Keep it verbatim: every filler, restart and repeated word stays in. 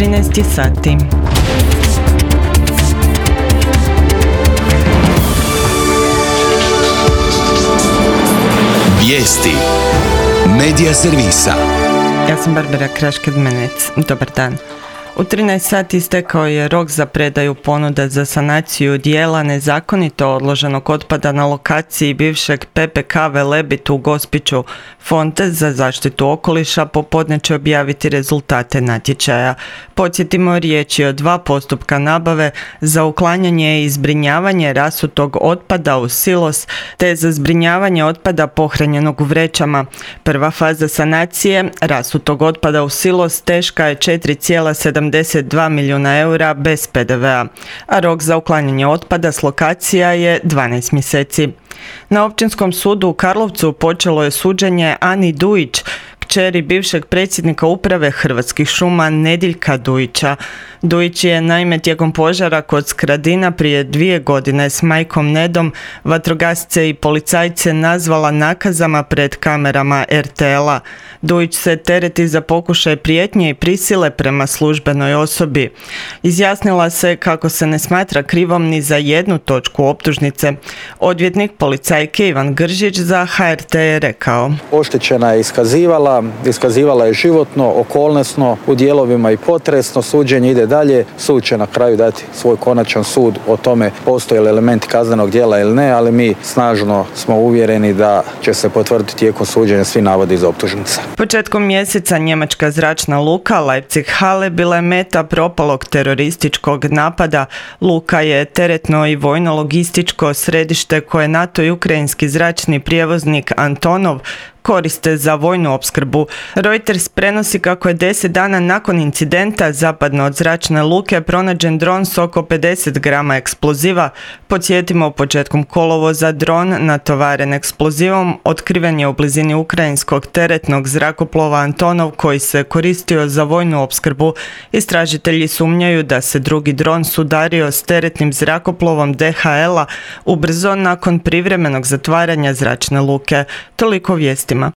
trinaest sati. Vijesti Medija servisa. Ja sam Barbara Kraš-Kedmenec. Dobar dan. U trinaest sati istekao je rok za predaju ponuda za sanaciju dijela nezakonito odloženog otpada na lokaciji bivšeg P P K Velebit u Gospiću. Fond za zaštitu okoliša popodne će objaviti rezultate natječaja. Podsjetimo, riječ je o dva postupka nabave za uklanjanje i zbrinjavanje rasutog otpada u silos te za zbrinjavanje otpada pohranjenog u vrećama. Prva faza sanacije rasutog otpada u silos teška je četiri zarez sedamdeset dva milijuna eura bez P D V-a, a rok za uklanjanje otpada s lokacija je dvanaest mjeseci. Na Općinskom sudu u Karlovcu počelo je suđenje Ani Dujić, kćeri bivšeg predsjednika uprave Hrvatskih šuma Nediljka Dujića. Dujić je naime tijekom požara kod Skradina prije dvije godine s majkom Nedom vatrogasce i policajce nazvala nakazama pred kamerama R T L-a. Dujić se tereti za pokušaj prijetnje i prisile prema službenoj osobi. Izjasnila se kako se ne smatra krivom ni za jednu točku optužnice. Odvjetnik policajke Ivan Gržić za H R T je rekao: Oštećena je iskazivala, iskazivala je životno, okolnosno, u dijelovima i potresno, suđenje ide dalje, sud će na kraju dati svoj konačan sud o tome postoje li elementi kaznenog djela ili ne, ali mi snažno smo uvjereni da će se potvrditi tijekom suđenja svi navodi iz optužnice. Početkom mjeseca njemačka zračna luka Leipzig-Halle bila je meta propalog terorističkog napada. Luka je teretno i vojno-logističko središte koje NATO i ukrajinski zračni prijevoznik Antonov koriste za vojnu opskrbu. Reuters prenosi kako je deset dana nakon incidenta zapadno od zračne luke pronađen dron s oko pedeset grama eksploziva. Podsjetimo, početkom kolovoza dron natovaren eksplozivom otkriven je u blizini ukrajinskog teretnog zrakoplova Antonov koji se koristio za vojnu opskrbu. Istražitelji sumnjaju da se drugi dron sudario s teretnim zrakoplovom D H L-a ubrzo nakon privremenog zatvaranja zračne luke. Toliko vijesti